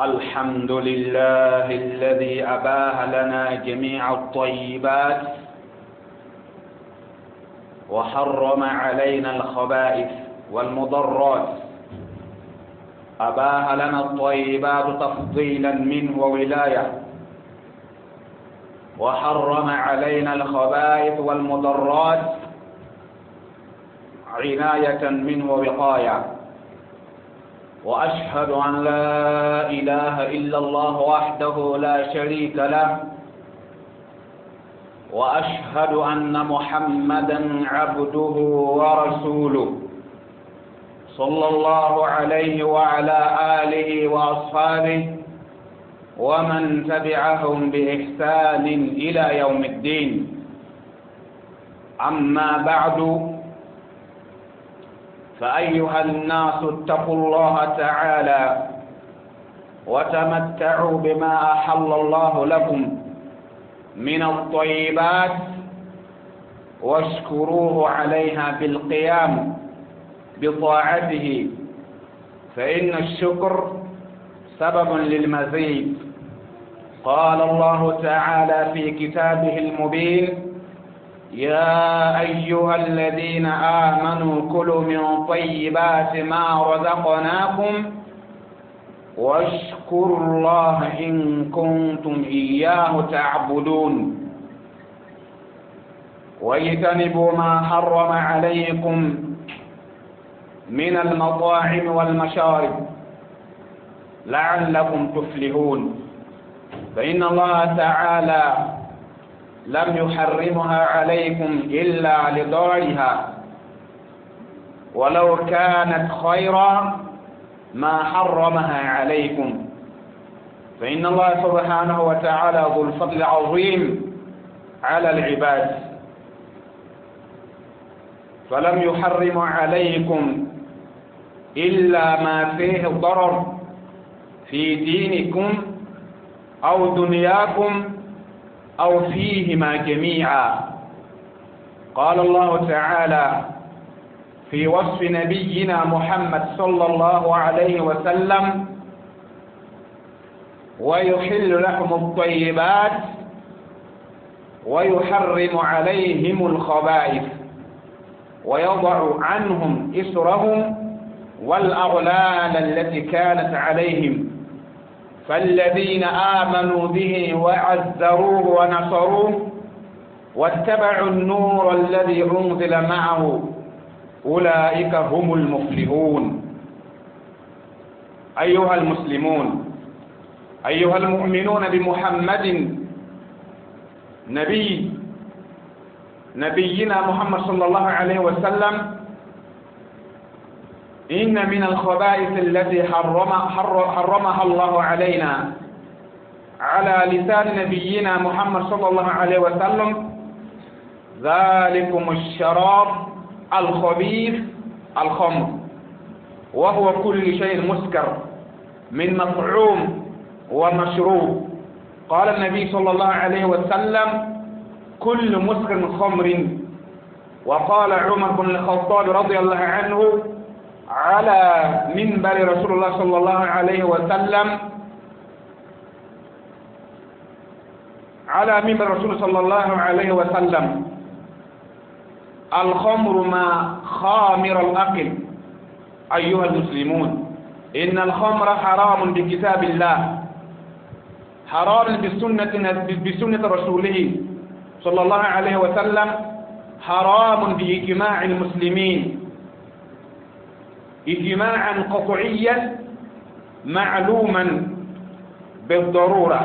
الحمد لله الذي أباح لنا جميع الطيبات وحرم علينا الخبائث والمضرات. أباح لنا الطيبات تفضيلا منه وولاية، وحرم علينا الخبائث والمضرات عناية منه ووقاية. وأشهد أن لا إله إلا الله وحده لا شريك له، وأشهد أن محمدا عبده ورسوله صلى الله عليه وعلى آله وأصحابه ومن تبعهم بإحسان إلى يوم الدين. أما بعد، فأيها الناس اتقوا الله تعالى وتمتعوا بما أحل الله لكم من الطيبات، واشكروه عليها بالقيام بطاعته، فإن الشكر سبب للمزيد. قال الله تعالى في كتابه المبين: يا أيها الذين آمنوا كلوا من طيبات ما رزقناكم واشكروا الله إن كنتم إياه تعبدون. واجتنبوا ما حرم عليكم من المطاعم والمشارب لعلكم تفلحون، فإن الله تعالى لم يحرمها عليكم إلا لضررها، ولو كانت خيرا ما حرمها عليكم. فإن الله سبحانه وتعالى ذو الفضل العظيم على العباد، فلم يحرم عليكم إلا ما فيه ضرر في دينكم أو دنياكم أو فيهما جميعا. قال الله تعالى في وصف نبينا محمد صلى الله عليه وسلم: ويحل لهم الطيبات ويحرم عليهم الخبائث ويضع عنهم إسرهم والأغلال التي كانت عليهم، فالذين آمنوا به وعزروه ونصروه واتبعوا النور الذي أنزل معه أولئك هم المفلحون. أيها المسلمون، أيها المؤمنون بمحمد نبينا محمد صلى الله عليه وسلم، إن من الخبائث التي حرمها الله علينا على لسان نبينا محمد صلى الله عليه وسلم ذلكم الشراب الخبيث الخمر، وهو كل شيء مسكر من مطعوم ومشروب. قال النبي صلى الله عليه وسلم: كل مسكر خمر. وقال عمر بن الخطاب رضي الله عنه على منبر رسول الله صلى الله عليه وسلم، على منبر رسول صلى الله عليه وسلم: الخمر ما خامر الأقل. أيها المسلمون، إن الخمر حرام بكتاب الله، حرام بسنة رسوله صلى الله عليه وسلم، حرام بإجماع المسلمين إجماعا قطعيا معلوما بالضرورة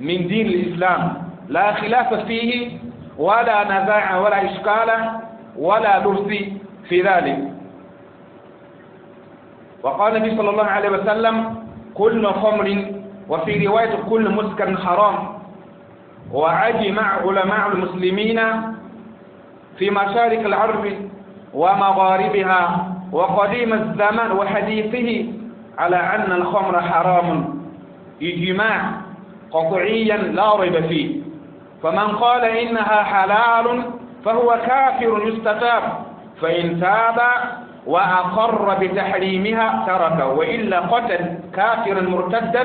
من دين الإسلام، لا خلاف فيه ولا نزاع ولا إشكال ولا لبس في ذلك. وقال النبي صلى الله عليه وسلم: كل خمر، وفي رواية كل مسكر حرام. وأجمع علماء المسلمين في مشارق الأرض ومغاربها وقديم الزمان وحديثه على أن الخمر حرام إجماع قطعيا لا ريب فيه. فمن قال إنها حلال فهو كافر يستتاب، فإن تاب وأقر بتحريمها تركه، وإلا قتل كافرا مرتدا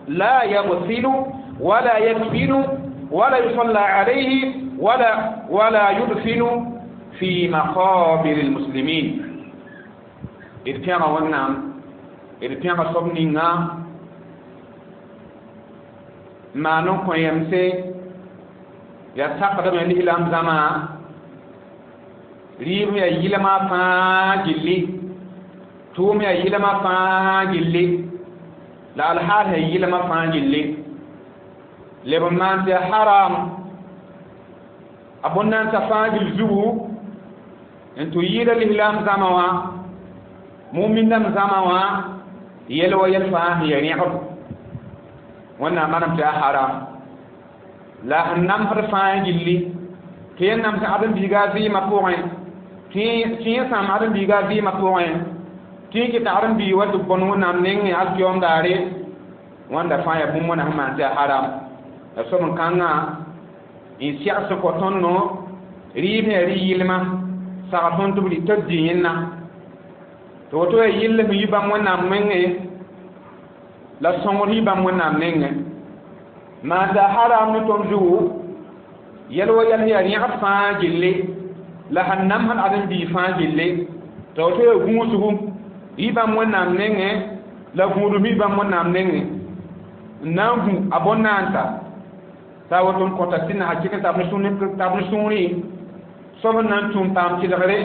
لا يغسل ولا يكفن ولا يصلى عليه ولا يدفن في مقابر المسلمين. إذ ونعم إذ صبنينا ما نكون يمسي يسقط من الإسلام زمان rɩɩb yaa yɩlma fãa gilli tʋʋm yaa yɩlma fãa gilli la alhaal yaa yɩlma fãa gilli leb n maan tɩ haram a bõn-nansã fãa gill zugu n tɩ yɩɩda lislaam zãma wã mumin-dãmb zãma wã yɛl wa yɛl fãa sẽn ya rẽgb Wẽnnaam manam tɩ yaa haram la sẽn namsd fãa gilli tɩ yẽ namsd ãdem-biiga a vɩɩmã pʋgẽ tɩ yẽ sãam ãdem-biiga a vɩɩmã pʋgẽ tɩ yẽ kɩt ãdem-biig wa tɩ bõn Wẽnnaam nengẽ alkiyom daare wãnda fãa yaa bũmb wẽna sẽn maan tɩ yaa haram la soab n kãngã n segs kõ tõndo rɩɩb sẽn yaa rɩ-yɩlma sag tõnd tɩ b tɩ b dɩ yẽnna tɩ woto yaa yɩll sẽn yi bãmb Wẽnnaam wẽngẽ la sõngr yi bãmb Wẽnnaam nengẽ maan tɩ haram ne tõnd zugu yɛl wa yɛl sẽn yaa rẽgd fãa gilli la sẽn namsd ãdem-biig fãa gilli tɩ woto yaa gũusgu yi bãmb Wẽnnaam nengẽ la gũudum yi bãmb Wẽnnaam nengẽ n na n gũ a bõn-naansa t'a woto n kõta sɩnda hakɩk n tab ne sũurẽ soab n na n tũum paam tɩlgre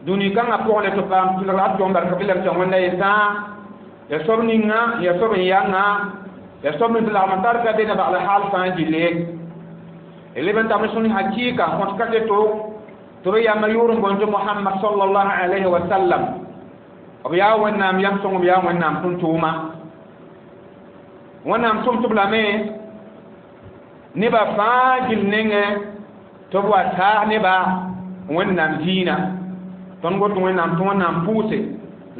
dũni kãngã pʋgẽ la tɩ paam tɩlgr alkiom barka bɩ la b tɩ Wẽnda yetã ya soab ninga ya soab n yãnga ya soab ning tɩ lagm n tar ka be na bagl haal fãa gilli d leb n tab ne sũur hakɩɩka n kõt kaseto tɩ b yamba yʋʋr n boond tɩ Mohamad sallallahu alayhi wa sallam b yaa Wẽnnaam yam sõng b yaa Wẽnnaam tʋm-tʋʋma Wẽnnaam tʋm tɩ b lame nebã fãa gill nengẽ tɩ b wa taag nebã Wẽnnaam diinã tõnd got Wẽnnaam tɩ Wẽnnaam pʋʋse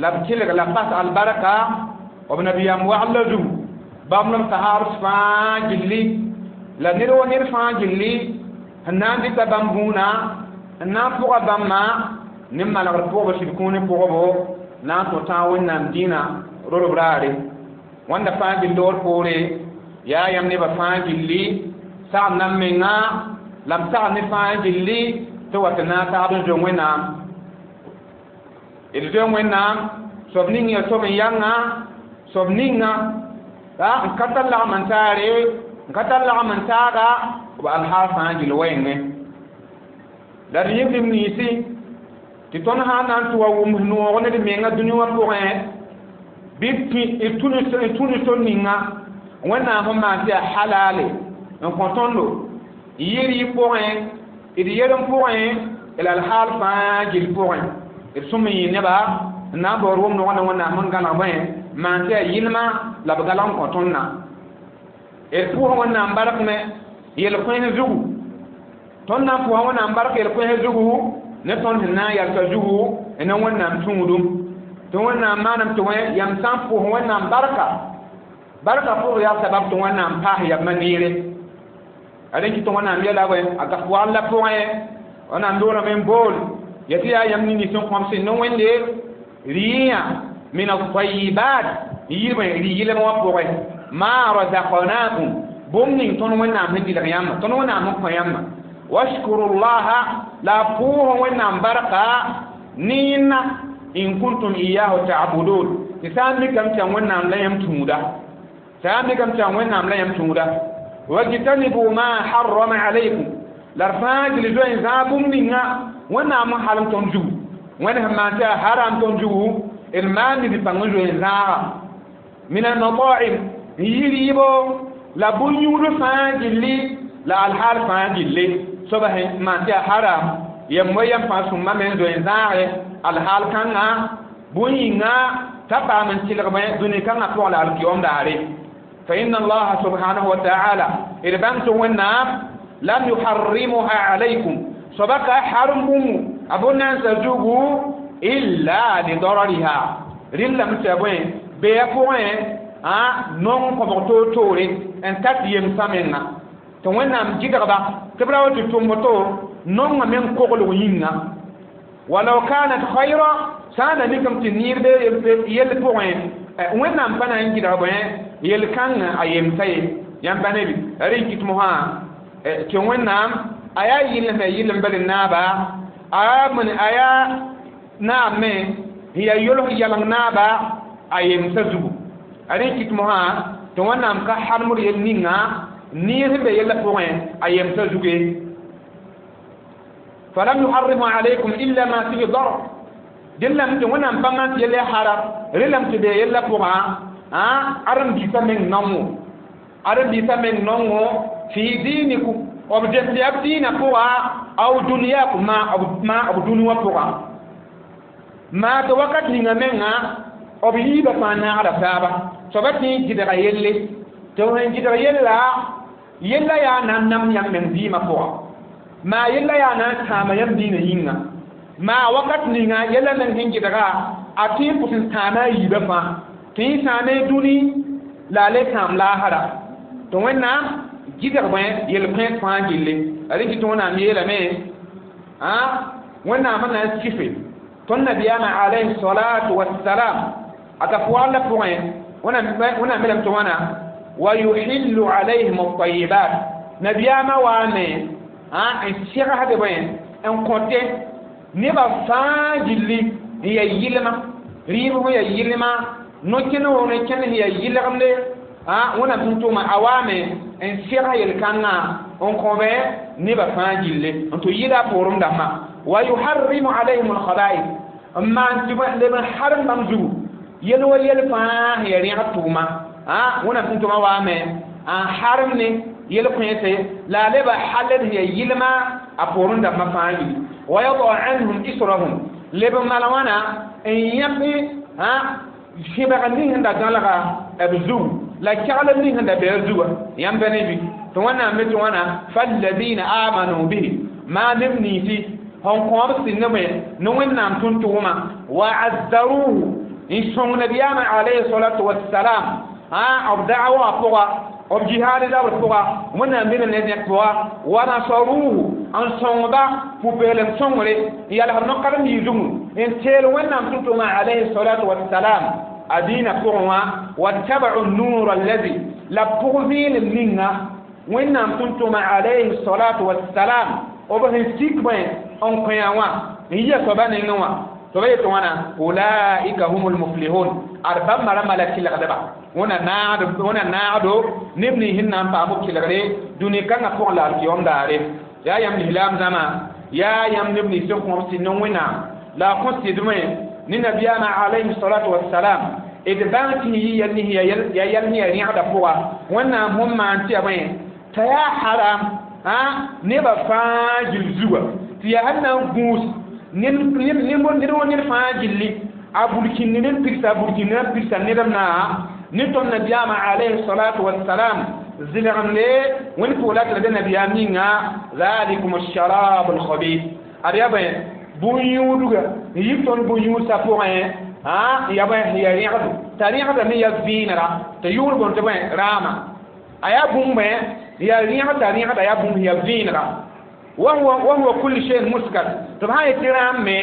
la b tɩlg la pas albarka b nabiyaam wagl la zugu bãmb la b sahaabs fãa gilli la ned wa ned fãa gilli sẽn na n dɩta bãmb bũuna n na n pʋga bãmbã ne malgr pʋgb sɩd kũuni pʋgbo na n tõ tãag Wẽnnaam dĩinã rodb raare wãnda fãa gill loor poore yaa yãmb nebã fãa gilli sagd nan menga la m sagd ne fãa gilli tɩ wa tɩ naag taab n zoe Wẽnnaam d zoe Wẽnnaam soab ning yaa soab n yãnga soab ninga n ka tar lagm n taare n ka tar lagm n taaga b alhaal fãa gill wɛɛngẽ la d yẽk d niisi tɩ tõnd sã n na n tɩ wa wʋms noog ne d menga dũni wã pʋgẽ bɩ d tũ ne sor ninga Wẽnnaam sẽn maan tɩ yaa halale n kõ tõndo n yɩ rɩɩb pʋgẽ d yerem pʋgẽ la alhaal fãa gill pʋgẽ d sõm n yɩ neba n na n baood wʋm nogã ne Wẽnnaam sẽn gãneg bõe maan tɩ yaa yɩlma la b galg n kõ tõndã d pʋʋs Wẽnnaam bark me yel-kões zugu tõnd na n pʋʋsa Wẽnnaam bark yel-kões zugu ne tõnd sẽn na n yalsa zugu ne Wẽnnaam tũudum tɩ Wẽnnaam maanam tɩ wẽ yãmb sã n pʋʋs Wẽnnaam barka barka pʋg yaa sabab tɩ Wẽnnaam paas yambã neere a rẽn kɩ tɩ Wẽnnaam yɛla wɛ a gas wagl la pʋgẽ Wẽnnaam loorame n bool ya tɩ yaa yãmb ning sẽn kõm sẽn ne Wẽnde rɩyã min al-tayyibat yɩlbẽ rɩ-yɩlem wã pʋgẽ ma razaqnakum bũmb ning tõnd Wẽnnaam sẽn dɩlg yãmba tõnd Wẽnnaam sẽn kõ yãmba washkurullaha la pʋʋs Wẽnnaam barka ne yẽnna in kuntum iyahu ta'budun tɩ sã n mikame tɩ yaa Wẽnnaam la yãmb tũuda sã n mikame tɩ yaa Wẽnnaam la yãmb tũuda wajtanibu ma harrama alaykum la d fãa gil zoe n zãag bũmb ninga Wẽnnaam n halem tõnd zugu Wẽnd sẽn maan tɩ yaa haram tõnd zugu d maan nid pãng n zoe n zãaga min al-mata'im n yɩ rɩɩbo la bũn-yũud fãa gilli la alhaal fãa gilli soaba sẽn maan tɩ yaa haram yam wa yam fãa sõmba me n zoe n zãage alhaal kãngã bũn-yĩnga t'a paam n tɩlgme dũni kãngã pʋgẽ la alkiyom daare fa inna allaha subhanahu wa ta'ala d bãng tɩ Wẽnnaam lam yuharrimuha alaykum soaba ka haram bũmbu a bõn-nansã zugu illa lidarariha rɩllame tɩ yaa bõe beya pʋgẽ nong kõbg toor-toore n tat yemsã menga tɩ Wẽnnaam gɩdgba tɩ b ra wa tɩ tʋm woto nongame n koglg yĩnga Walau kanat khayra sã n na mikame tɩ niir be yell pʋgẽ, Wẽnnaam pa na n gɩdg bõe yel-kãngã a yemsa ye. Yãmb pa ne bɩ rẽ kɩt mosã tɩ Wẽnnaam a yaa yɩlem ya yɩlem bal n naaba, a yaa naam me n yaa yolg yaleng naaba a yemsa zugu. A rẽ kɩt mosã tɩ Wẽnnaam ka harmd yel ninga niir sẽn be yellã pʋgẽ a yemsa zugu. Falam yuharrimu alaykum illa ma fihi darar, dẽn lame tɩ Wẽnnaam pa maan tɩ yella haram, rẽ lame tɩ be yellã pʋgã ãdem-biisã meng naongo, ãdem-biisã meng naongo fi diinikum, b dẽmd yaa b dĩinã pʋga, aw dũniyaakum maa b dũni wã pʋgã. Maa tɩ wakat ninga menga b yiibã fãa naagda taaba, soaba tɩ n gɩdga yelle, tɩ b sẽn gɩdg yella, yella yaa na n nam yãmb meng dĩimã pʋga, maa yella yaa na n sãama yãmb dĩinã yĩnga. Maa wakat ninga yella meng sẽn gɩdga a tɩ n pʋs n sãama a yiibã fãa, tɩ n sãame dũni la a le sãam laasra. Tɩ Wẽnnaam gɩdg bõe yel-kõet fãa gilli. Rẽ kɩ tɩ Wẽnnaam yeelame, Wẽnnaam n na n sife tõnd nabiyaamã alayhi salatu wassalam a ka pʋgã pʋgẽ. Wẽnnaam yeelame tɩ wãna wa yuhillu alayhim at-tayyibat, nabiyaamã waame n segsd bõe n kõte nebã fãa gilli n yaa yɩlma, rɩɩb sẽn yaa yɩlma, no-kẽnd wã no-kẽnd sẽn yaa yɩlgemde. Wẽnnaam tʋm-tʋʋma a waame n seg yel-kãngã n kõ bẽ nebã fãa gilli n tɩ yɩla a poorem dãmbã. Wa yuharrimu alayhim alkhaba'ith, n maan tɩ leb n harem bãmb zugu yel wa yel fãa sẽn yaa rẽgd tʋʋma. Wẽnnaam tʋm-tʋʋma waame n harem ne yel-kõese la a leba haled sẽn yaa yɩlma a poorem dãmbã fãa gilli. Wa yada anhum israhum, leb n maan wãna n yãk sẽbg ning sẽn da gãlga b zugu la keglem ning sẽn da be a zugã. Yãmb pa ne bɩ tɩ Wẽnnaam me tɩ wãna falladina amanu bihi, maa neb ninsi sẽn kõob sɩnd me ne Wẽnnaam tʋm-tʋʋma, wa azzaruhu, n sõng nabiyaamã alayhi salatu wassalam b da'wa pʋga, b jihaad zabr pʋga, Wẽnnaam dĩnã ne zẽk pʋga, wa nasaruhu, n sõngba pʋ-peelem sõngre, n yalsd no-karen-biig zugu n teel Wẽnnaam tʋm-tʋʋmã alayhi salatu wassalam a dĩinã pʋgẽ wã, wattabau nura allazi, la pʋg vẽenem ninga Wẽnnaam tʋm-tʋʋmã alayhi salatu wassalam b sẽn sik bõe n kõ wã n yia soaba nengẽ wã. Tɩ b yetɩ wãna ulaika humul muflihun, ad bãmba rãmbã la tɩlgdba. Wẽna naagdo neb nins sẽn na n paam b tɩlgre dũni kãngã pʋgẽ la alkiyom daare. Yaa yãmb lislaam zãma, yaa yãmb neb nins sẽn kõb sɩd ne Wẽnnaam la a kõ sɩdme ne nabiyaamã alayhi salatu wassalam, d bãng tɩ yɩ yɛl nins ya yɛl sẽn yaa rẽgda pʋga. Wẽnnaam sẽn maan tɩ yaa bõe t'a yaa haram nebã fãa gill zuga, tɩ yaa sẽn na n gũus ned wa ned fãa gilli a burkĩnd ned pigsa, a burkĩnd n pigsa nedem na ne tõnd nabiyaamã alayhi salatu wassalam zɩlgemde Wẽnd pʋgla tɩ la be nabiyaam ninga zalikum alsharab alkhabith. Ad yaa bõe bũn-yũudga n yik tõnd bũn-yũudsã pʋgẽ ya bõe ya rẽgdo, t'a rẽgdame ya vẽenega tɩ yʋʋr bõn tɩ bõe raama a yaa bũmb bõe ya rẽgd, t'a rẽgda yaa bũmb ya vẽenega. Wa huwa kullu shay'in muskar, tɩ b sã n yetɩ rãam me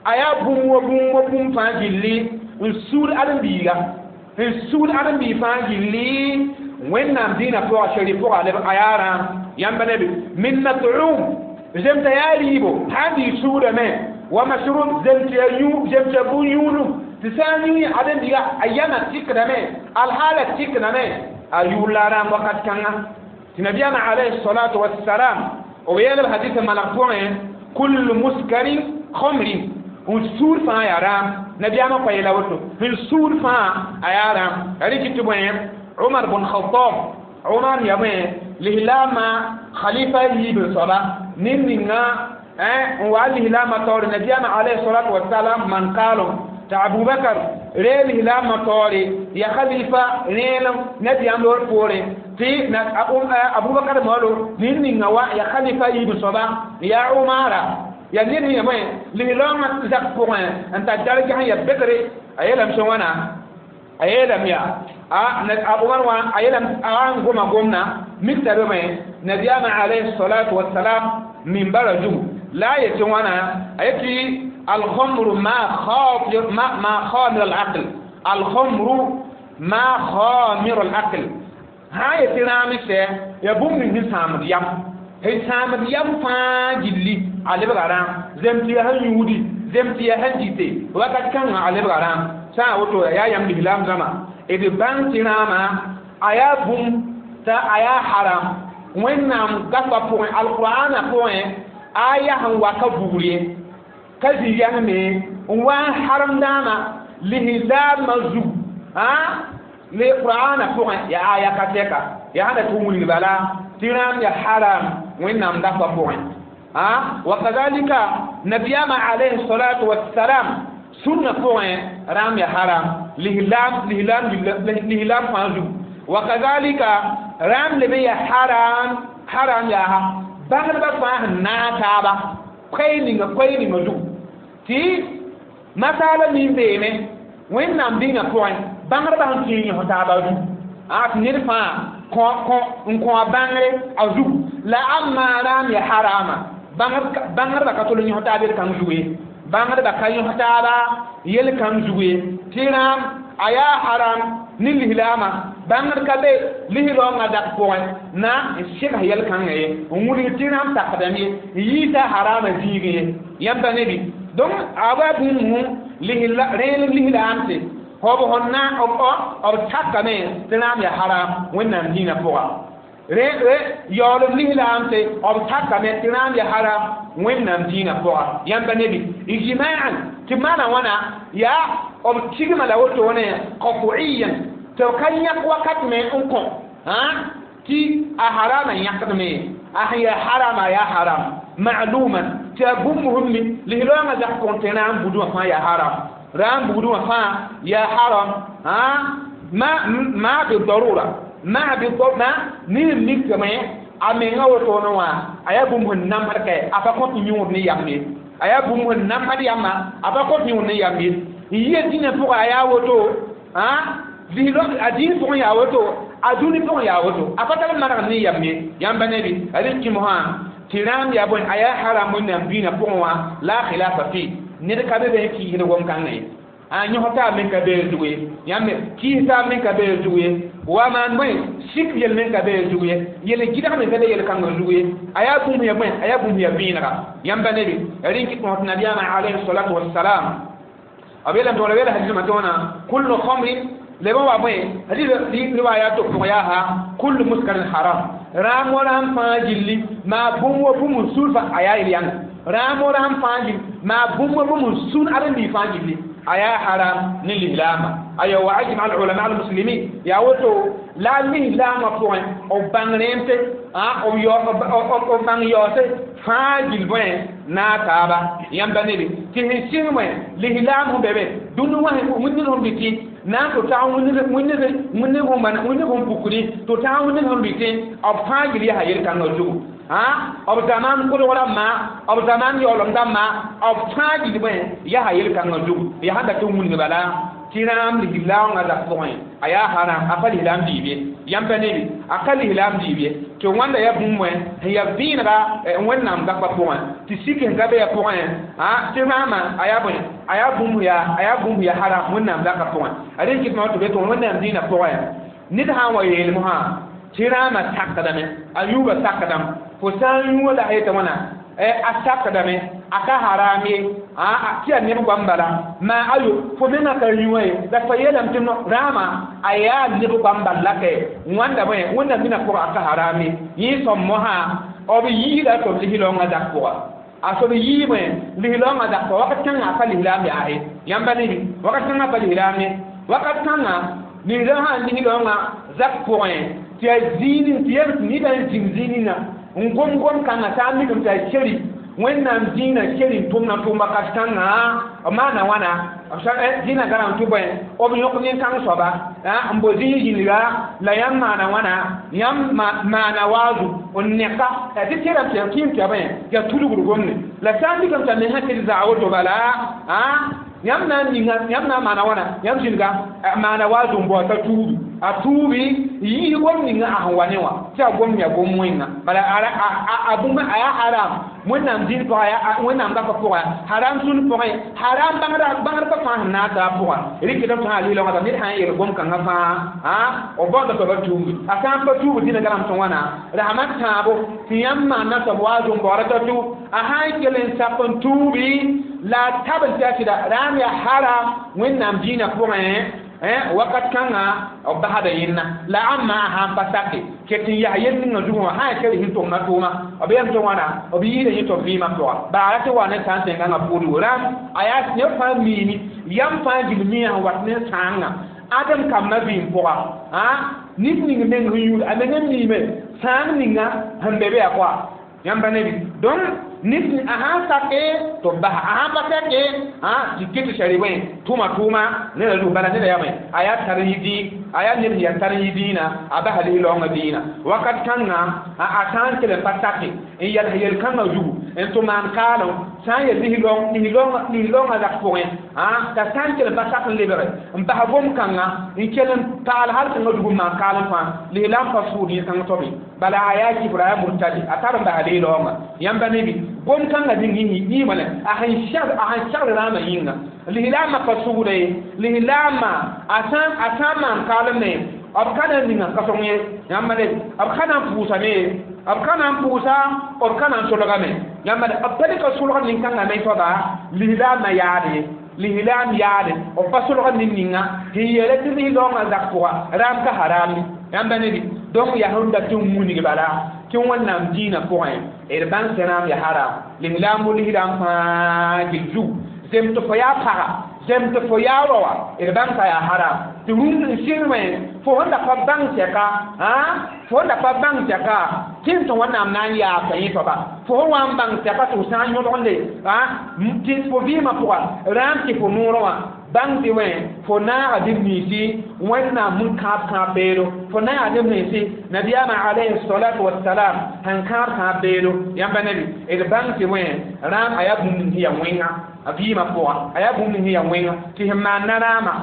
a yaa bũmb wa bũmb wa bũmb fãa gilli n sugd ãdem-biiga, n sugd ãdem-biig fãa gilli Wẽnnaam dĩinã pʋga shari pʋga a yaa rãam. Yãmb ne bɩ min mat'um zemta yaa rɩɩbo sã n dɩ sugdame, wa masrub zemt yaa yũ, zemt yaa bũn-yũudum tɩ sã n yũ ãdem-biiga a yãmã tɩkdame, alhaala tɩkdame a yʋʋr la rãam wakat kãnga. Tɩ nabiyaamã alayhi salatu wassalam b yeelb hadisa maneg pʋgẽ kullu muskarin khamrin, n suud fãa yaa rãam. Nabiyaamã pa yeela woto, n suud fãa a yaa rãam. Rẽ kɩ tɩ bõe Umar bn Khattab, Umar ya bõe lislaamã khalifa yiib soaba ned ninga n wa lislaamã taoore nabiyaamã alayhi salatu wasalam man kaalem tɩ Abubakar ree lislaamã taoore ya khalifa rẽelem nabiyaam loor poorẽ, tɩ Abubakar moolo ned ninga wa ya khalifa yiib soaba ya Umara ya ned sẽn ya bõe lislaamã zak pʋgẽ n tar darja sẽn ya begre. A yeelame sẽn wãna a yeelame yaa a Umar wã a yeelame a n goma gomna mik t'a be bõe nabiyaamã alayhi salatu wasalam minbara zugu. La yetɩ wãna a yetɩ alhamru ma khamir al-aql, alhamru ma khamir al-aql sã n yetɩ rãam sɛ ya bũmb ning sẽn sãamd yam, sẽn sãamd yam fãa gilli a lebga rãam. Zem tɩ yaa sẽn yũudi, zem tɩ yaa sẽn dɩte wakat kãngã a lebga rãam. Sã n woto yaa yãmb lislaam zãma d bãng tɩ rãamã a yaa bũmb t'a a yaa haram Wẽnnaam gafã pʋgẽ, alqur'ana pʋgẽ aya sẽn wa ka bugr ye ka zĩ yãngme n wa n harem dãamã lislaamã zug le qur'ana pʋgẽ yaa aya ka tɛka yaa sẽn da tɩ wilg bala tɩ rãam ya haram Wẽnnaam gafã pʋgẽ. Wa kazalika nabiyama alayhi salatu wassalam sunna pʋgẽ rãam ya haram lislaam lislaam lislaam fãa zug. Wa kazalika rãam leb ya haram haram yaa bãngdbã fãa sẽn naag taaba koɛɛ ninga zug tɩ masaala min beeme Wẽnnaam dĩnã pʋgẽ bãngdbã sẽn tɩ yõs taaba zug tɩ ned fãa n kõ a bãngre a zug la amma rãam ya harama bãngdbã ka tol n yõs taab yel-kãng zug ye, bãngdbã ka yõs taaba yel-kãng zug ye tɩ rãam a yaa haram ne lislaamã bãngd ka be lislaoongã dak pʋgẽ na n sɩgs yel-kãngã ye n wilg tɩ rãam sakdame ye n yiisa harama zĩigẽ ye yãmba nebi. Donc a wa bũmb rẽelem lislaamse b sẽn na b sakame tɩ rãam ya haram Wẽnnaam dĩinã pʋga, yaoolem lislaamse b sakame tɩ rãam ya haram Wẽnnaam dĩinã pʋga yãmba nebi ijma'an tɩ maana wãna yaa b tigma la wotone qat'iyan tɩ b ka yãk wakat me n kõ tɩ a harama yãkdme a sẽn yaa harama yaa haram ma'luman tɩ a bũmb sẽn mi lislaoongã zak pʋgẽ tɩ rãam budẽ wã fãa yaa haram, rãam bugdẽ wã fãa yaa haram ma bidarura ma ma ne mikame a menga wotone wã a yaa bũmb sẽn namsd kɛ a pa kõt yũud ne yam ye, a yaa bũmb sẽn namsd yamma a pa kõt yũud ne yam ye n yɩa dĩnã pʋgã a yaa woto a dĩin pʋgẽ yaa woto a dũni pʋgẽ yaa woto a pa tar manegd ne yam ye yãmba nebi a rɩk kɩmsã tɩ rãam yaa bõe a yaa haram Wẽnnaam dĩinã pʋgẽ wã la khilafa fi ned ka be be n kiisd gom-kãngã ye a yõs taab men ka beer zug ye yãmb kiis taab men ka beer zug ye wa maan bõe sik yel men ka beer zug ye yel gɩdg men ka be yel-kãngã zug ye a yaa bũmb ya bõe a yaa bũmb ya vẽenega yãmba nebi rẽn kɩt tõs nabiyaamã alayhi salatu wassalam b yeelame tɩ wala hadismã tõona kullu khamrin leb n wa bõe hadis riwaya to pʋgẽ yaa ha kullu muskarin haram rãam wa rãam fãa gilli maa bũmb wa bũmb n sul fa a yaa yel-yãnga rãam wa rãam fãa gilli maa bũmb wa bũmb n sul aren-biig fãa gilli a yaa haram ne lislaamã aya wa ajma al ulama al muslimin yaa woto la lislaamã pʋgẽ b bãng rẽemte b bãng yaoose fãa gill bõe naag taaba yãmba nebi tɩ sẽn sɩng bõe lislaam sẽn be be dũni wã wĩnir sẽn rɩtɩ na n tɩ tag wĩnir sẽn pukdi tɩ tag wĩnir sẽn rɩtɩ b fãa gill yaa yel-kãngã zugu b zaman kolg rãmbã b zaman yaoolem dãmbã b fãa gill bõe yaa yel-kãngã zugu yaa sẽn dat n wilg bala tɩ rãam lislaoongã zak pʋgẽ a yaa haram a pa lislaam diib ye yãmba nebi a ka lislaam diib ye tɩ wãnda yaa bũmb wẽ sẽn yaa vẽenega Wẽnnaam gafã pʋgẽ tɩ sik sẽn ka be ya pʋgẽ tɩ rãamã a yaa bõe a yaa bũmb yaa a yaa bũmb yaa haram Wẽnnaam zakã pʋgẽ a rẽn kɩt tɩ be tɩ Wẽnnaam dĩinã pʋgẽ ned sã n wa yeelem sã tɩ rãamã sakdame a yũubã sakdame fo sã n yũuã la a yeta wãna a sakdame a ka haram ye tɩ yaa neb goam bala maa ayo fo menga ka yũuã ye la fa yeelame tɩ rãamã a yaa neb goam bal la kɛ wãnda bõe Wẽnnaam dĩnã pʋgã a ka haram ye yẽ sõm mosã b yiida tɩ b lislaoongã zak pʋga a sob yii bõe lislaoongã zak pʋga wakat kãngã a pa lislaam yaase yãmba nebi wakat kãngã a pa lislaam ye wakat kãngã ninsa sã n lislaoongã zak pʋgẽ tɩ yaa zĩig tɩ yel tɩ neda n zĩng zĩig ninga n gom gom kãngã sã n mikame tɩ a keri Wẽnnaam dĩinã keri n tʋmna tʋʋm wakat kãngã b maana wãna dĩinã gãrã n tɩ bõe b yõk nin-kãng soaba n bo zĩig yĩnga la yãmb maana wãna yãmb maana waazu n neka tɩ tẽrame tɩ kɩɩm tɩ ya bõe yaa tudgd gomne la sã n mikame t'a me sã tɩ zaa woto bala yãmb na n ninga yãmb na n maana wãna yãmb zĩnga maana waazu n bao t'a tuudu a tuubi yii gom ninga a sẽn wa ne wã tɩ a gom yaa gom wẽnga bala a bũmb a yaa haram wẽnnaam dĩn pʋga wẽnnaam gapa pʋga haram sũn pʋgẽ haram bãngdbã fãa sẽn naag taa pʋga rɩkdame tɩ sã lɩ-laoongã ned sã n yel gom kãngã fãa b baoonda soaba tuubgi a sã n pa tuubd dĩnã garem tɩ wãna rasmã tãabo tɩ yãmb maana soab wa a zũm-baoodã t'a tuub a sã n kell n sak n tuubi la a tabl tɩ a sɩda raam yaa haram wẽnnaam dĩinã pʋgẽ wakat kãngã b basda yẽnna la ãmba a sãn pa sake ket n yaa yel ninga zugẽ wã sã n kell sẽn tʋmna tʋʋma b yam tɩ wãna b yiida yẽ tɩ b vɩɩmã pʋga baara tɩ wa ne sã n tẽngãngã pʋʋdgo rãmb a yaa neb fãa miime yam fãa gil mia sẽn wat ne sãangã ãdem kambã vɩɩm pʋga nit ning meng sẽn yũud a meng n miime sãang ninga sẽn be be yaa koa yãmba ne donc nit a sãn sake tɩ b basa a sãn pa sake tɩ ket tɩ sari wẽ tʋma tʋʋma neda zug bala neda yame a yaa tar n yi a yaa ned sẽn yaa tar n yi dĩinã a basa lis-laoongã dĩinã wakat kãngã a sã n kell n pa sake n yals yel-kãngã zugu n tɩ maan kaalem sã n yel lis-laoongã zak pʋgẽ t'a sã n kell n pa sak n lebge n bas gom-kãngã n kell n paal hal kãngã zugu n maan kaalem fãa lislaam pa sʋʋd yẽ-kãng toame bala a yaa kifra a yaa murtadi a tar n basa lis-laoongã yãmba nebi gom-kãngã ning yĩmã la a sẽn segd rãamã yĩnga lislaamã pa sʋʋda ye lislaamã a sã n maan kaalem ne b ka na n ninga ka-sõng ye yãmba ne b ka na n pʋʋsame ye b ka na n pʋʋsa b ka na n solgame yãmba b pa dɩka solg nin-kãngã me soaba lislaamã yaad ye lislaam yaade b pa solg nin-ninga sẽn yeela tɩ lis-laoongã zak pʋga raam ka haram ye yãmba ne donc yaa sẽn dat n wilg bala tɩ wẽnnaam dĩinã pʋgẽ d bãng tɩ rãam yaa haram lislaam lislaam fãa gil zug zem tɩ fo yaa paga zem tɩ fo yaa raoa d bãng t'a yaa haram tɩ rũnd n sɩng wẽ fo sẽn da pa bãng sɛka fo sẽn da pa bãng sɛka tɩ n tɩ wẽnnaam na n yaabta yẽ soaba fo sẽn wa n bãng sɛka tɩ f sã n yõdgende tɩ fo vɩɩmã pʋga rãam tɩ fo noorã wã bãng tɩ wẽ fo naaga neb ninsi wẽnnaam sẽn kãab kãab beelo fo naaga neb ninsi nabiyaamã alayhi salatu wasalam sẽn kãab kãab beelo yãmba nebi d bãng tɩ wẽ rãam a yaa bũmb ning sẽn yaa wẽnga a vɩɩmã pʋga a yaa bũmb ning sẽn yaa wẽnga tɩ sẽn maan na rãamã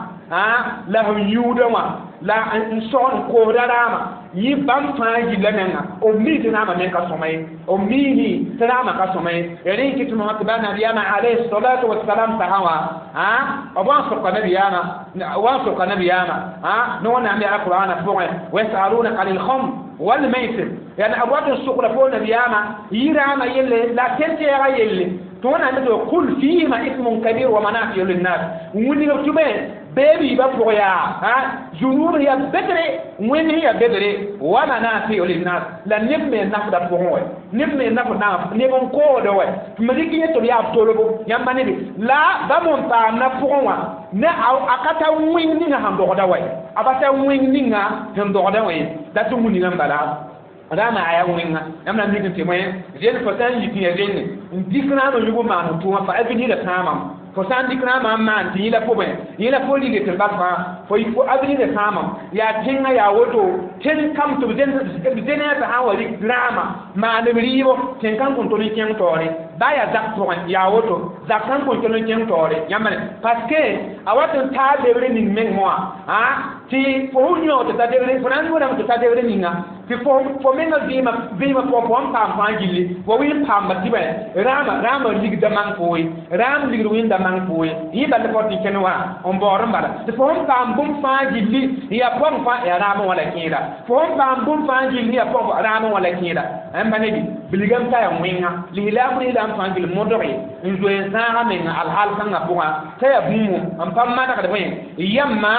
la sẽn yũudã wã la n sog n koosda rãamã yẽ bãmb fãa gilla menga b mi tɩ rãamã meng ka sõma ye b miisẽ tɩ rãamã ka sõma ye rẽ n kɩ tɩ mosã tɩ ba nabiyaamã alayhi salatu wasalam sasã wã b wa n soka nabiyaamã wa n soka nabiyaamã ne wẽnnaam yaa qur'ana pʋgẽ wayasalunaka anil khamr walmaisir yani b wat n sokda fo nabiyaamã yɩ rãamã yelle la tẽn-tɛɛgã yelle tɩ wẽnnaam tɩ kul fihima ismun kabir wa manafiu linnas wilg tʋme beebi ba pʋg yaa zunub yaa bedre wẽnd yaa bedre wa manafiu linnas la neb me nafda pʋgẽ wɛ neb me nafd neb n koogda wɛ tɩ me rɩk yẽ tɩ b yaa b tolbo yãmba nebe la bãmb n paamda pʋgẽ wã ne a ka ta wẽng ninga sẽn dogda wɛ a pa ta wẽng ninga sẽn dogda wẽ da tɩ wilgã n bala rãamã a yaa wẽnga yãmb na n mik n tɩ wẽ zen fo sã n yik n ya zenne n dɩk rãamã yʋg n maan tʋʋmã fa a vinida sãamam fo sã n dɩk rãamã n maan tɩ yẽ la pʋgẽ yẽ la fo lige tɩ bal fãa fo a vinida sãamam yaa tẽngã yaa woto tẽng kam tɩ b zenã t'a sã n wa rɩk rãamã maan b rɩɩbo tẽn-kãng kõn tol n kẽng taoore baa yaa zak pʋgẽ yaa woto zak sãn kõn tol n kẽng taoore yãmba ne parce que a wat n taa lebre ning meng wã tɩ fo sẽn yõog tɩ ta debre fo na n yõodame tɩ ta debre ninga tɩ fo menga vɩɩmã pʋgẽ fo n paam fãa gilli fo wɩ n paamba tɩ bã rãamã rãamã ligda mang fo ye rãam ligd wẽnda mang fo ye yẽ bala fo tɩ kẽne wã n baood n bala tɩ fo sẽn paam bũmb fãa gilli n yaa pɔgẽ fãa yaa rãamã wã la kẽeda fo sẽn paam bũmb fãa gilli n yaa pɔgẽ rãamã wã la kẽeda ãmba nebi bilgame t'a yaa wẽnga lislaam lislaam fãa gil modge n zoe n zãaga menga alhaal kãngã pʋgã t'a yaa bũmb n pa manegd bõe yãmma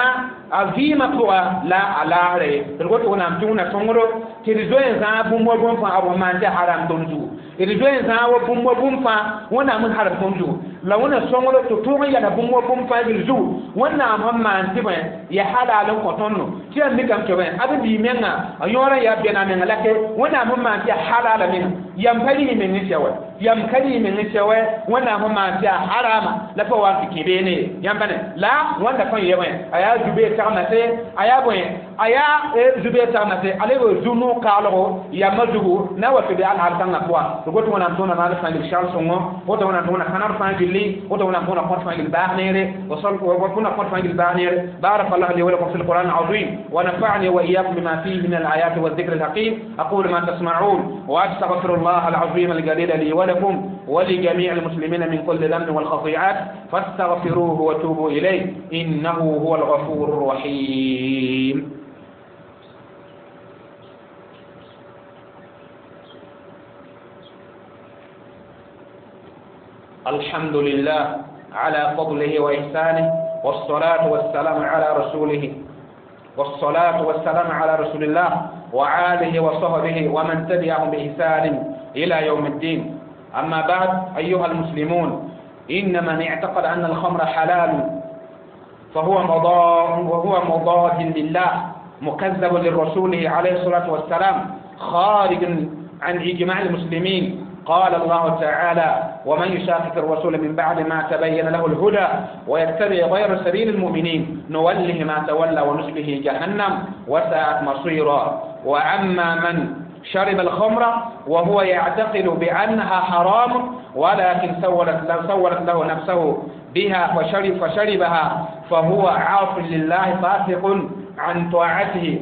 a vɩɩmã pʋga la a laasra ye d got wẽnnaam tɩ wẽna sõngdo tɩ d zoe n zãag bũmb wa bũmb fãa b sẽn maan tɩ haram tõnd zugu d zoe n zãag wa bũmb wa bũmb fãa wẽnnaam n harb tõnd zugu la wẽna sõngdo tɩ tõog n yala bũmb wa bũmb fãa gil zugu wẽnnaam sẽn maan tɩ bõe yaa halal n kõ tõndo tɩ yaa mikame tɩ bõe ad bii menga a yõorã yaa bɛna menga la ke wẽnnaam sẽn maan tɩ yaa halala menga Yam pa rɩ meng n sɛ wɛ, yam ka rɩ meng n sɛ wɛ. Wẽnnaam sẽn maan tɩ yaa harama la fo wa n tɩ kẽ beene ye. Yãmb pa ne la wãnda fãa yɛ bõe, a yaa zubeer tagmase, a yaa bõe, a yaa zubeer tagmase, a leb zu-noog kaalgo yamã zugu na wa tɩ be alhaal kãngã pʋga. Tɩ got wẽnnaam tõona maal fãa gil segl sõngo, woto wẽnnaam tõona kãnr fãa gilli, woto wẽnnaam tõona kõt fãa gil baas neere, tõna kõt fãa gil baas neere. بارك الله لي ولكم في القرآن العظيم ونفعني وإياكم بما فيه من الآيات والذكر الحكيم. أقول ما تسمعون وأستغفر الله العظيم الجليل لي ولكم ولجميع المسلمين من كل ذنب والخطيئات، فاستغفروه وتوبوا إليه إنه هو الغفور الرحيم. الحمد لله على فضله وإحسانه، والصلاة والسلام على رسوله، والصلاة والسلام على رسول الله وآله وصحبه ومن تبعهم بإحسان إلى يوم الدين. أما بعد، أيها المسلمون، إن من اعتقد أن الخمر حلال فهو مضاد لله، مكذب لرسوله عليه الصلاة والسلام، خارج عن إجماع المسلمين. قال الله تعالى: ومن يشاقق الرسول من بعد ما تبين له الهدى ويتبع غير سبيل المؤمنين نوله ما تولى ونصله جهنم وساءت مصيرا. وأما من شرب الخمر وهو يعتقد بأنها حرام ولكن سولت له نفسه بها فشربها فهو عاص لله فاسق عن طاعته،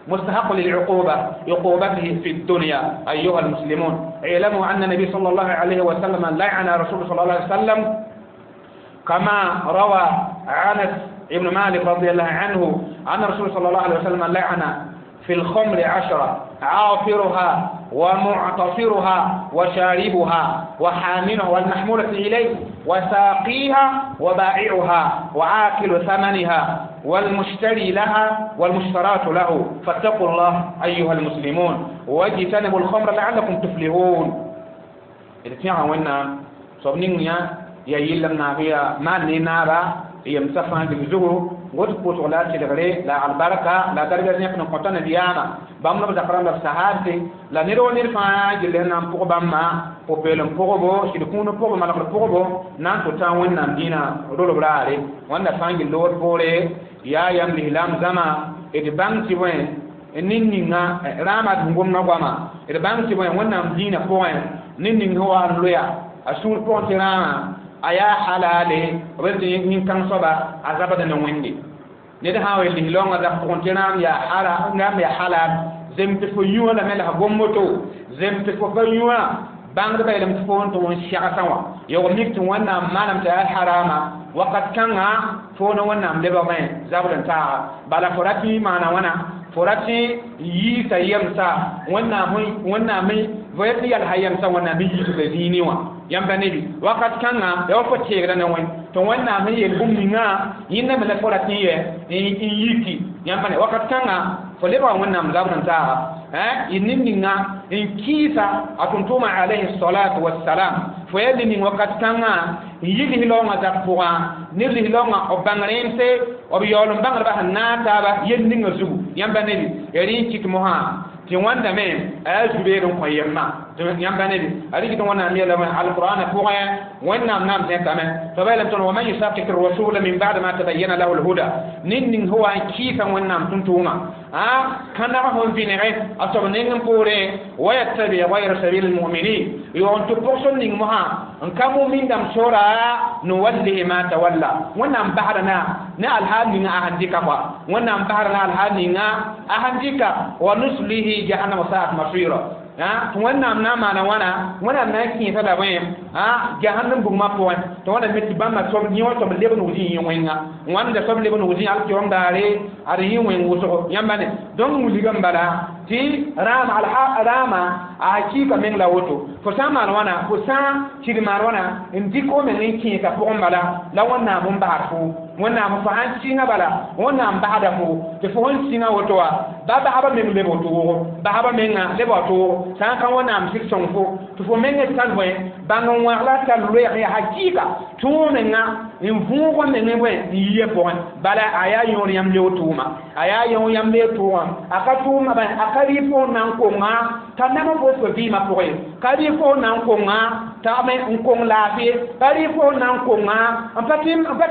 مستحق للعقوبة عقوبته في الدنيا. أيها المسلمون، اعلموا أن النبي صلى الله عليه وسلم لعن رسول صلى الله عليه وسلم كما روى أنس ابن مالك رضي الله عنه أن الرسول صلى الله عليه وسلم لعن في الخمر 10: عاصرها ومعتصرها وشاربها وحاملها والمحمولة إليه وساقيها وبائعها وآكل ثمنها والمشتري لها والمشترات له. فاتقوا الله أيها المسلمون واجتنبوا الخمر لعلكم تفلحون. إذا تيعا وإنا صبنين يا يلم نابيا ما نينابا يمسفان بزغو غوت بوت ولا تلغري لا البركة لا درجة نحن قطنا ديانا بامنا بذكرنا بسهادة لا نيرو نيرفا جلنا نبقى بامما popelem pʋgbo sɩd kũun pʋgb malgr pʋgbo na n tʋ tã wẽnnaam dĩinã rolb raare wãnda fãa gil lood poore yaa yam lislaam zãma d bãng tɩ bõe ned ninga rãamã d gomdã goama d bãng tɩ bõe wẽnnaam dĩinã pʋgẽ ned ning sẽn wa n loya a sũur pʋgẽ tɩ rãamã a yaa halale b tɩ nin-kãng soaba a zabd ne wẽnde ned sã n wa lislaoongã zak pʋgẽ tɩ rãam yaa halal zem tɩ fo yũã lame la f gom woto zem tɩ fo pa yũã bãngdbã yeelame tɩ fo n tʋg n segsã wã yog mik tɩ wẽnnaam manam tɩ yaa harama wakat kãngã fo ne wẽnnaam lebgmẽ zabd n taaga bala fo ra tɩ maana wãna fo ra tɩ yiisa yemsa wẽnnaam fo ya tɩ yalsa yemsa wẽnnaam n yiisda zĩini wã yãmba nebi wakat kãngã ya wa fo teegda ne wẽn tɩ wẽnnaam sẽn yel bũmb ningã yẽnda me la fo ra tɩ n yɛ n yiki yãmba ne wakat kãngã fo lebga wẽnnaam zabd n taaga ned ninga n kɩɩsa a tʋm-tʋʋmã alayhi salatu wassalam fo yaa ned ning wakat kãngã n yi lislaoongã zak pʋgã ned lislaoongã b bãng rẽemse b yaool n bãngdbã sẽn naag taaba yel ninga zugu yãmba nebi ya rẽ n kɩt mosã tɩ wãndame a yaa zu-beed n kõ yemma yãmba nebi a rɩk tɩ wẽnnaam yeelame alqur'ana pʋgẽ wẽnnaam naam zẽkame tɩ b yeelame tõnd waman yusakik rasula min ba'd ma tabayyana lahu lhuda ned ning sẽn wa n kɩɩsa wẽnnaam tʋm-tʋʋmã kãneg sẽn vɩnege a soab neng n poorẽ wa yattabi gayra sabil lmuminin yoog n tɩ pʋgsem ning mosã n ka mumindãmb sora nuwallihi ma tawalla wẽnnaam basda ne alhaal ninga a sẽn dɩka koa wẽnnaam basda ne alhaal ninga a sẽn dɩka wa nuslihi jahannama sa'at masira tɩ wẽnnaam na n maana wãna wẽnnaam na n kẽesa la bõe jahannam bugmã pʋgẽ tɩ wãna me tɩ bãmba soab yẽ wã soab leb n zĩ yẽ wẽnga wãnda soab leb n zĩ alkiom daare ad yẽ wẽng wʋsgo yãmba ne donc wilgame bala tɩ rãama a hakɩɩka meng la woto fo sã n maan wãna fo sã n tɩd maan wãna n dɩk fo meng n kẽesa pʋgẽ bala la wẽnnaam n basd fo wẽnnaam fo sãn sɩngã bala wẽnnaam basda fo tɩ fo sẽn sĩngã woto wã ba basba meng leb toogo basba menga leb wa toogo sã n ka Wẽnnaam sɩd sõng fo tɩ fo mengã tar bõe bãng n wãgla tar loɛɛg yaa hakɩɩka tõog menga n võog meng bõe n yia pʋgẽ bala a yaa yõor yãmb leo tʋʋma a yaa yõ yãmb leo tʋʋgã a ka tʋʋma bãe a ka rɩ fo n na n konga t'a nam n fo vɩɩmã pʋgẽ ka rɩ fo n na n konga t'a me n kong laafɩ ka rɩ fo n na n konga n pa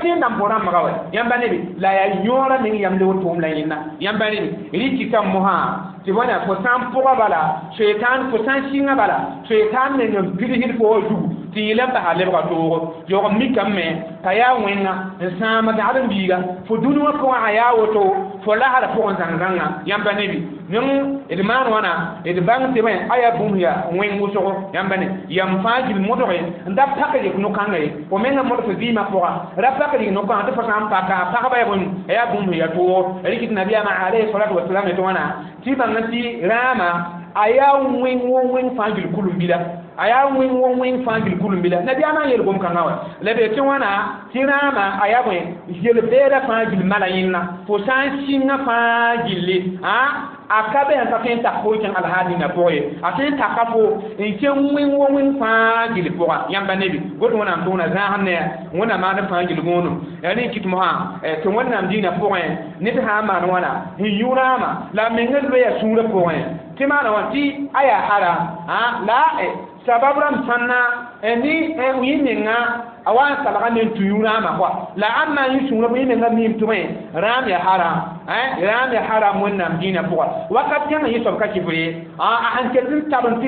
tɩ n nan fo rãmbga wɛ yãmba nebe la yaa yõora meng yãmb leo tʋʋm la yẽnda yãmba nebe rɩ tɩ mosã tɩ bõna fo sã n pʋga bala soetaan fo sã n sɩngã bala soetaan meng n pidsd fo wa zugu tɩ yɩl n basa lebga toogo yaoog mikame t'a yaa wẽnga n sãam dagd n biiga fo dũni wã pʋgã a yaa woto fo lasra pʋgẽ zãng-zãngã yãmba nebi ning d maan wãna d bãng tɩ bõe a yaa bũmb yaa wẽng wʋsgo yãmba ne yam fãa gil modge n da pak yik no-kãnga ye fo mengã modg fo vɩɩmã pʋga ra pak yik no-kãngã tɩ fo sã n paka a pagba yaa bũmb a yaa bũmb yaa toogo rɩk tɩ nabiyaamã alayhi salatu wasalam tɩ wãna tɩ bãng tɩ rãama a yaa wẽng wo wẽng fãa gil kulum-bila a yaa wẽng wo wẽng fãa gil kulum-bila nabiyaamã n yel gom-kãngã wã la be tɩ wãna tɩ rãama a yaa bõe yel-beedã fãa gil mala yẽnna fo sã n sĩngã fãa gilli a ka be sẽn ka tõe n tak fo n kẽng alhaal ninga pʋgẽ ye a tõe n taka fo n kẽng wẽng wo wẽng fãa gil pʋga yãmba nebi got Wẽnnaam tʋʋna zãasem ne Wẽnnaam maand fãa gil gõonem yaa rẽ n kɩt mosã tɩ Wẽnnaam dĩinã pʋgẽ ned sã n maan wãna n yũ rãama la a mengã loeya sũurã pʋgẽ tɩ maana wã tɩ a yaa haram la sabab rãmb sãnna ne yẽ menga a wa n salga ne n tũ yũ rãamã kɔa la ãmb na n yẽ sũurã yẽ menga miime tɩ bõe rãam yaa haram rãam yaa haram Wẽnnaam dĩinã pʋga wakat kẽngã yẽ soab ka kɩfr ye a sẽn ket n tab n tɩ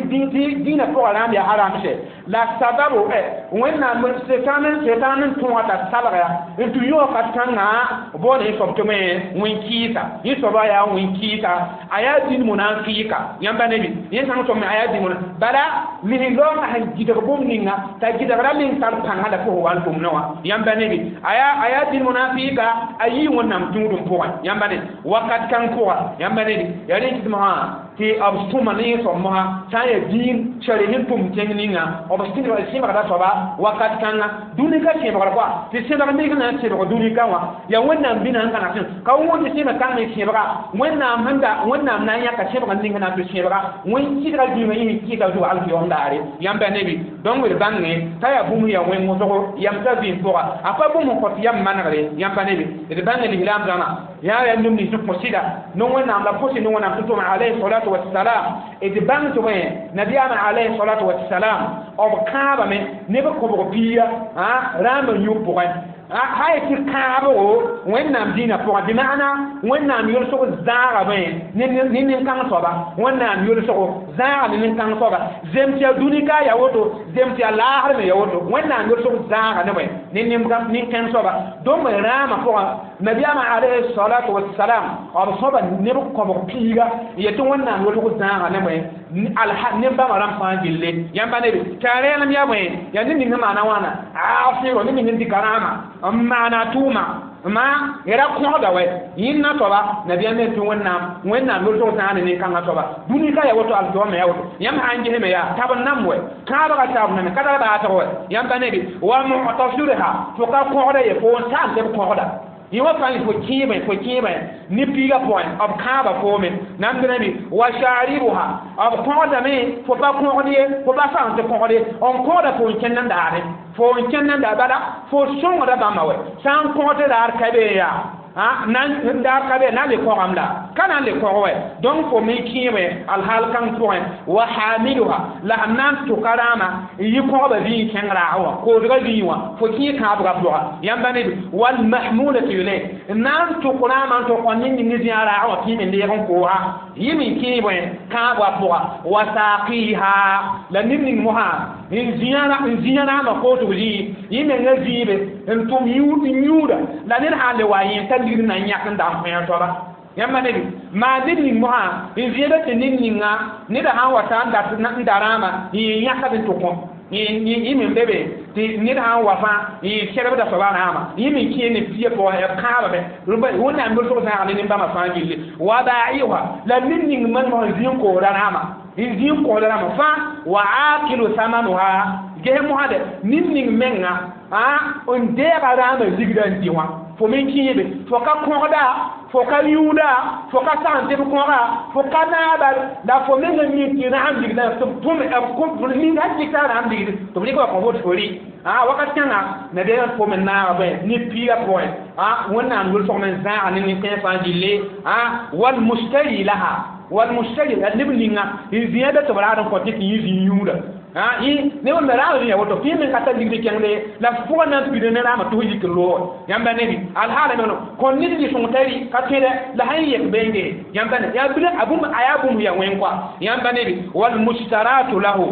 dĩinã pʋga rãam yaa haram sɛ la sababu Wẽnnaam setan n tõoga t'a salga n tũ yõ wakat kãngã boona yẽ soab tɩ bõe wẽn-kɩɩsa yẽ soaba yaa wẽn-kɩɩsa a yaa dĩn munafɩɩka yãmba nebi yẽ sãn soab me a yaa dĩn muna bala lis-raoongã sẽn gɩdg bũmb ninga t'a gɩdgra meng tar pãngã la fo wa n tʋm ne wã yãmba nebi a yaa dĩn munafɩɩka a yii Wẽnnaam tũudum pʋgẽ yãmba ne wakat kãng pʋga yãmba nebi yaa rẽ kɩt mosã tɩ b sõma ne yẽ soab mosã sã n yaa dĩin sari ne tʋm tẽng ninga b sẽbgda soaba wakat kãnga dũni ka sẽbgr kɔa tɩ sẽbg ning na n sẽbg dũni ka wã yaa Wẽnnaam bĩna n kãna sẽn ka wõnd sẽbg kãng me sẽbga Wẽnnaam sẽn da Wẽnnaam na n yãka sẽbg ning na n tɩ sẽbga wẽn kɩdga dũniyã yẽ kɩɩta zugu alkiyom daare yãmba nebi donc d bãnge t'a yaa bũmb yaa wẽng wʋsgo yam t'a vɩɩm pʋga a pa bũmb n kõt yam manegre yãmba nebi d bãnge lislaam zãma yaa yaa neb nins n kõ sɩda ne Wẽnnaam la pʋsɩ ne Wẽnnaam tɩ tʋm alayhi salatu wassalam d bãng tɩ bõe nabiyaamã alayhi salatu wassalam b kãabame neb kõbg piiga rãambã yũ pʋgẽ ha tɩ kãabgo Wẽnnaam dĩinã pʋgẽ bɩ maana Wẽnnaam yolsg zãagame ne nin-kãng soaba Wẽnnaam yolsgo zãaga ne nin-kãng soaba zem tɩ yaa dũni ka yaa woto zem tɩ yaa laasr me yaa woto Wẽnnaam yolsg zãaga ne bõe ne nin-kãng soaba donc rãamã pʋgã nabiyaamã alayhi salatu wassalam b sõba neb kõbg piiga n yet tɩ Wẽnnaam yolsg zãaga ne bõe nin-bãmba rãmb fãa gille yãmba nebe tɩ a rẽenem yaa bõe yaa ned ning sẽn maana wãna asɩro ned ning sẽn dɩka rãamã n maana tʋʋma ma ra kõgda wɛ yẽnna soaba nabiyaam me tɩ Wẽnnaam Wẽnnaam yolsg zãag ne nin-kãngã soaba dũni ka yaa woto alkiyoomã yaa woto yãmb sã n gesme yaa tab n nam wɛ kãabga taab name ka tar baasg wɛ yãmba nebi wa mu'tasirha fo ka kõgda ye fo n saam tɩ b kõgda yẽ wã fãa fo kẽebẽ ne piigã pʋgẽ b kãaba foome nan tɩ nabi wa sharibuha b kõgdame fo pa kõgd ye fo pa sãn tɩ kõgd ye n kõgda fo n kẽnd n daare fo n kẽnd n daa bala fo sõngda bãmba wɛ sã n kõg tɩ daar ka be yaa nan daar ka be na le kõgam la ka na n le kõg wɛ donc fo me kẽebẽ alhaal kãng pʋgẽ wa hamiluha la sẽn na n tʋka rãamã n yɩ kõgba vĩig kẽng raag wã koosga vĩig wã fo kẽ kãabgã pʋga yãmba neb walmahmulatu ilay n na n tʋk rãamã n tʋk ne ning zĩa raag wã kẽeme leeg n koosa yẽ me kẽebẽ kãabgã pʋga wa saqiha la ned ning mosã n zĩa rãamã koosg zĩig yẽ menga zĩibe n tʋm yũuda la ned sã n le wa yẽ t'a ligd na n yãk n da n kõ soaba yãmba neb maa ned ning mosã n zẽeda tɩ ned ninga neda sã n wa ta n da rãamã n yẽ yãkd n tʋ kõ yẽ me be be tɩ ned sã n wa fãa n yẽ sɛrbda soaba rãamã yẽ me kẽ ne pia pʋgẽ b kãabame Wẽnnaam yolsg zãag ne nin-bãmba fãa gilli wa ba'iha la ned ning men mosã zĩ n koosda rãamã n zĩ n koosda rãamã fãa wa akilu samanuha ges mosã de ned ning menga n deega rãamã ligda n dɩ wã. Fo men kẽebe fo ka kõgda, fo ka yũuda, fo ka sagn tɩ b kõga, fo ka naaba la fo meng n mi tɩ rãam ligdã tɩ b tʋm ning sã dɩka rãam ligd tɩ b rɩk wa kõ fo tɩ fo rɩ wakat kãnga nabiyaamã pʋgẽ me naaga bõe ne piigã pʋgẽ Wẽnnaam yʋlsg me n zãaga ne nin-kãens fãa gilli wal mustari laha wal mustari la neb ninga n zĩa be tɩ b raad n kõ tɩ tɩ yẽ zĩ yũuda ne wẽnna raam rẽ woto fɩ me ka tar ligd kẽngde la pʋgã na n pida ne raamã tɩ f yik n loog yãmba nebi alhaala me kõn ned rɩ-sõng t'a rɩ ka tõe la sãn yek benge yãmba ne yaa bɩ a bũmb a yaa bũmb ya wẽn koa yãmba nebi wal mustaratu lahu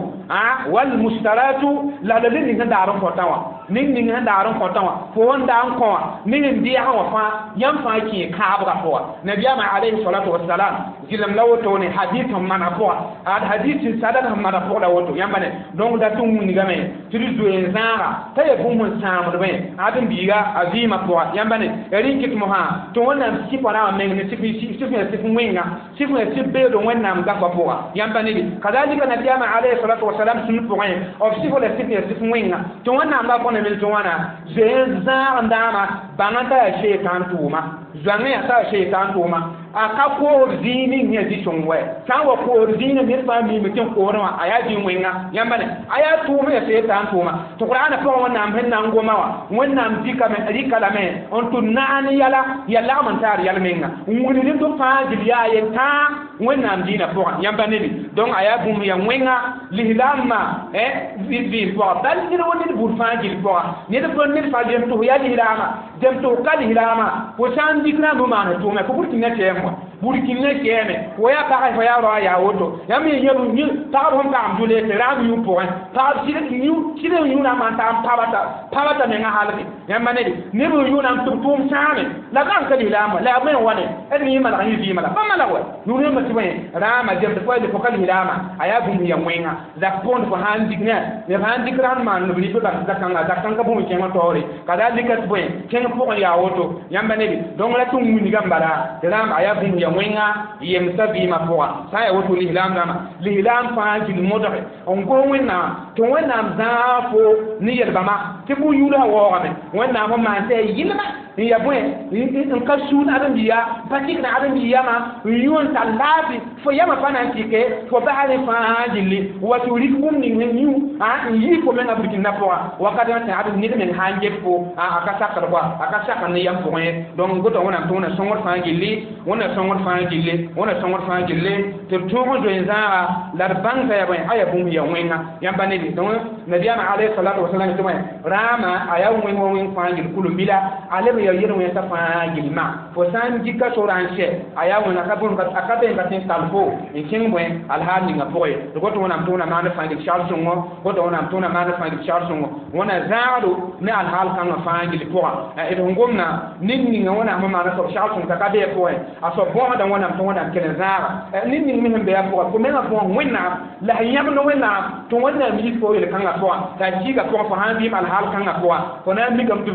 wal mustaratu la la ned ning sẽn daar n kõtã wã ning ning sẽn daar n kõtã wã fo wẽn daa n kõ wã ning n dɩɛsã wã fãa yãmb fãa kẽ kãabgã pʋga nabiyaamã alayhi salatu wasalam zɩlem la wotone hadith sẽn mana pʋga ad hadith sẽn sadad sẽn mana pʋg la woto yãmba ne donc dat n wilgame tɩ d zoe n zãaga t'a yaa bũmb n sãamdbẽ ad n biiga a vɩɩmã pʋga yãmba ne rẽ kɩt mosã tɩ Wẽnnaam sɩfa rãmbã meng ne sɩf ya sɩf wẽnga sɩf ya sɩf beood Wẽnnaam gafã pʋga yãmba ne kazalika nabiyaamã alayhi salatu wasalam sũn pʋgẽ b sɩf la sɩf ya sɩf wẽnga tɩ Wẽnnaam gafã ne mel tɩ wãna zoe n zãag n dãama bãng t'a yaa shetan tʋʋma zoangẽ t'a yaa shetan tʋʋma a ka koor zĩig ning yã zĩ-sõng wɛ sã n wa koor zĩigã ned fãa miime tɩ n koorẽ wã a yaa zĩ wẽnga yãmba ne a yaa tʋʋm ya seetaan tʋʋma tɩ Qur'aana pʋgẽ Wẽnnaam sẽn na n goma wã Wẽnnaam rɩka lame n tʋ naan yɛla ya lagm n taar yɛl menga n wilg tɩ fãa gil yaa yel-tãa Wẽnnaam dĩinã pʋgã yãmba nebi donc a yaa bũmb ya wẽnga lislaambã vɩɩm pʋga bal ned wa ned buud fãa gil pʋga ned fo ned fãa gem tɩ fo yaa lislaama gem tɩ fo ka lislaama fo sã n dik rãmb maan tʋʋme fo burkĩnã kɛɛm wã burkĩnã kɛɛme fo yaa pagã fo yaa raoã yaa woto yãmb yẽ pagb sẽn pagm dʋle tɩ rãmb yũ pʋgẽ pagb sɩd n yũ rãmbã n tag n pabata mengã halge yãmba ned neb n yũ rãmb tɩ b tʋʋm sãame la b rãng ka lislaam la yaa bõe n wa ne d yẽ malg yẽ vɩɩmã la pa malg wa nurẽmbã tɩ bõe rãamã gem tɩ fo ka lislaama a yaa bũmb ya wẽnga zak pʋgẽ fo sã n dik ne b sã n dik rãnd maan b rɩ bas zakãnga zakãng bũmb kẽngã taoore kazalika tɩ bõe kẽng pʋgẽ yaa woto yãmba nebi donc la tɩ n wilgame bala tɩ rãmb a yaa bũmb ya wẽnga yemsa vɩɩmã pʋga sã n yaa woto lislaam rãmba lislaam fãa gil modge n gos Wẽnnaam tɩ Wẽnnaam zãag fo ne yel-bãmba tɩ bũn-yũudã waoogame Wẽnnaam sẽn maan tɩ yaa yɩlma n ya bõe n ka suud ãdem-biiga pa tɩkd ãdem-biig yamã n yũ n tar laafɩ fo yamã pa na n tɩke fo basrẽ fãa gilli wa tɩ rɩk bũmb ning sẽn yũ n yiis fo mengã burkĩndã pʋga wakat tɩ ad ned meng sã n get fo a ka sakd koa a ka sakd ne yam pʋgẽ ye donc gota Wẽnnaam tɩ Wẽnna sõngd fãa gilli Wẽnna sõngd fãa gilli Wẽnna sõngd fãa gilli tɩ d tõog n zoe n zãaga la d bãng t'a yaa bõe a yaa bũmb ya wẽnga yãmba nebi donc nabiyaamã alayhi salatu wasalam tɩ bõe rãamã a yaa wẽng wa wẽng fãa gil kulum-bila a leb ya yel-wẽnsã fãa gilmã fo sã n dɩka sora n sɛ a yaa wẽnga ka bũmb a ka be n ka tẽ n tall fo n kẽng bõe alhaal ninga pʋgẽ ye tɩ got Wẽnnaam tɩ Wẽnna maand fãa gil segl sõngo got Wẽnnaam tɩ Wẽnna maand fãa gil segl sõngo Wẽnna zãagdo ne alhaal kãngã fãa gil pʋgã d sẽn gomna ned ninga Wẽnnaam sẽn maana soab segl sõng t'a ka bee pʋgẽ a soab bõosda Wẽnnaam tɩ Wẽnnaam kell n zãaga ned ning me sẽn be a pʋgã fo mengã pʋgẽ Wẽnnaam la sẽn yãbd Wẽnnaam tɩ Wẽnnaam yik fo yel-kãngã pʋgã t'a kiiga pʋgẽ fo sã n vɩɩm alhaal kãngã pʋgã fo na n mikame tɩ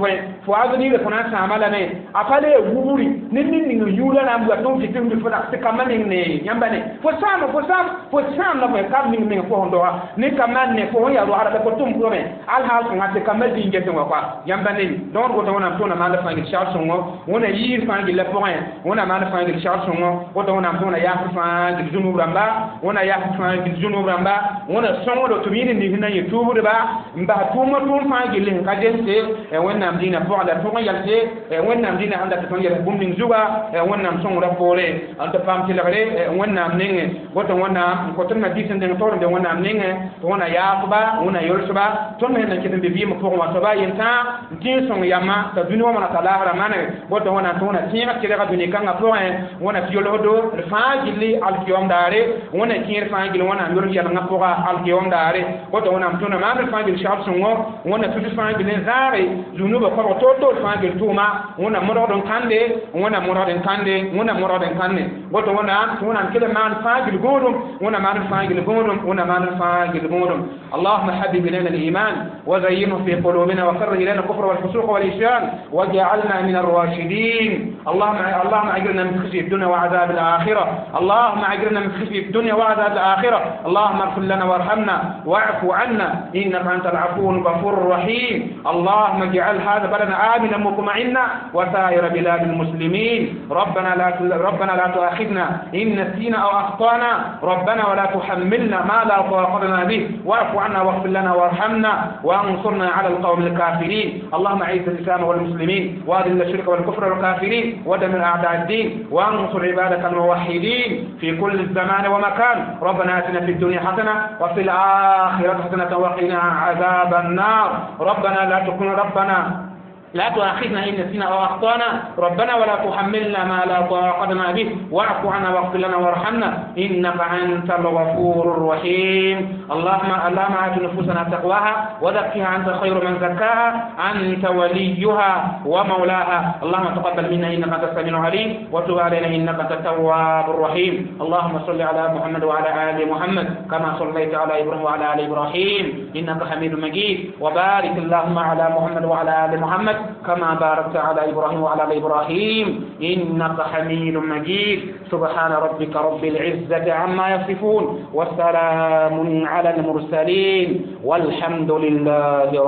fo avenir fo na n sãama lame a pa le wubri ne ned ning n yũudã na n bua tɩ f vɩ tɩ fo tɩ kambã meng ne yãmba ne fo sãam fo sãam fo sãam la fo kam ning meng fo sẽn doga ne kambã ne fo sẽn yaa roagda la fo tʋm pʋgẽ alhaal kãngã tɩ kambã zĩig getẽ wã koa yãmba ne donc woto Wẽnnaam tɩ Wẽnna maand fãa gil segl sõngo Wẽnna yiis fãa gilla pʋgẽ Wẽnna maand fãa gil segl sõngo woto Wẽnnaam tɩ Wẽnna yaas fãa gil zũnub rãmba Wẽnna yaas fãa gil zũnub rãmba Wẽnna sõngdo tɩ b yẽ ned nins na n yẽ tuubdba n bas tʋʋmã tʋʋm fãa gilli sẽn ka zemse Wẽnnaam dĩinã pʋgẽ la tõg n yɛlse Wẽnnaam dĩinã sẽn dat tɩ tõnd yɛls bũmb ning zuga Wẽnnaam sõngrã poore n tɩ paam tɩlgre Wẽnnaam nengẽ woto Wẽnnaam n kõt d ma-biis n dẽng taoor n be Wẽnnaam nengẽ tɩ Wẽnna yaafba Wẽnna yolsba tõnd me sẽn na n ket n be vɩɩmã pʋgẽ wã soaba yentãa n tɩ n sõng yamã t'a dũni wã wãna t'a laasrã maneg woto Wẽnnaam tɩ Wẽnna tẽeg tɩlga dũni kãngã pʋgẽ Wẽnna tɩ yolsdo d fãa gilli alkiyom daare Wẽnna kẽer fãa gill Wẽnnaam yols yɛlengã pʋga alkiyom daare woto Wẽnnaam tɩ Wẽnna maand fãa gil segl sõngo Wẽnna tus fãa gil n zãage zũnubã koabg toor-toor fãa gil tʋʋma Wẽnna modgd n kãnde Wẽnna modgd n kãnde Wẽnna modgd n kãnde woto Wẽnnaam tɩ Wẽnnaam kell n maan fãa gil gõodum Wẽnna maan fãa gil gõodum Wẽnna maan fãa gil gõodum اللهم حبب إلينا الإيمان وزينه في قلوبنا وكره إلينا الكفر والفسوق والعصيان واجعلنا من الراشدين اللهم أجرنا من خزي الدنيا وعذاب الآخرة اللهم أجرنا من خزي الدنيا وعذاب الآخرة اللهم اغفر لنا وارحمنا واعف عنا إنك أنت العفو الغفور الرحيم اللهم اجعل هذا بلدنا آمنا مطمئنا منا وسائر بلاد المسلمين. ربنا لا تؤاخذنا إن نسينا أو أخطأنا، ربنا ولا تحملنا ما لا طاقة لنا به، واعف عنا واغفر لنا وارحمنا وانصرنا على القوم الكافرين. اللهم أعز الإسلام والمسلمين، وأذل الشرك والكفر والكافرين، ودمر أعداء الدين، وانصر عبادك الموحدين في كل زمان ومكان. ربنا آتنا في الدنيا حسنة وفي الآخرة حسنة وقنا عذاب النار. ربنا لا تؤاخذنا إن نسينا أو أخطأنا، ربنا ولا تحملنا ما لا طاقة لنا به، واعف عنا واغفر لنا وارحمنا إنك أنت الغفور الرحيم. اللهم آت نفوسنا تقواها وزكها أنت خير من زكاها، أنت وليها ومولاها. اللهم تقبل منا إنك أنت السميع العليم، وتب علينا إنك أنت التواب الرحيم. اللهم صل على محمد وعلى آل محمد كما صليت على إبراهيم وعلى آل إبراهيم إنك حميد مجيد، وبارك اللهم على محمد وعلى آل محمد كما باركت على إبراهيم وعلى آل إبراهيم إنك حميد مجيد. سبحان ربك رب العزة عما يصفون، وسلام على المرسلين، والحمد لله رب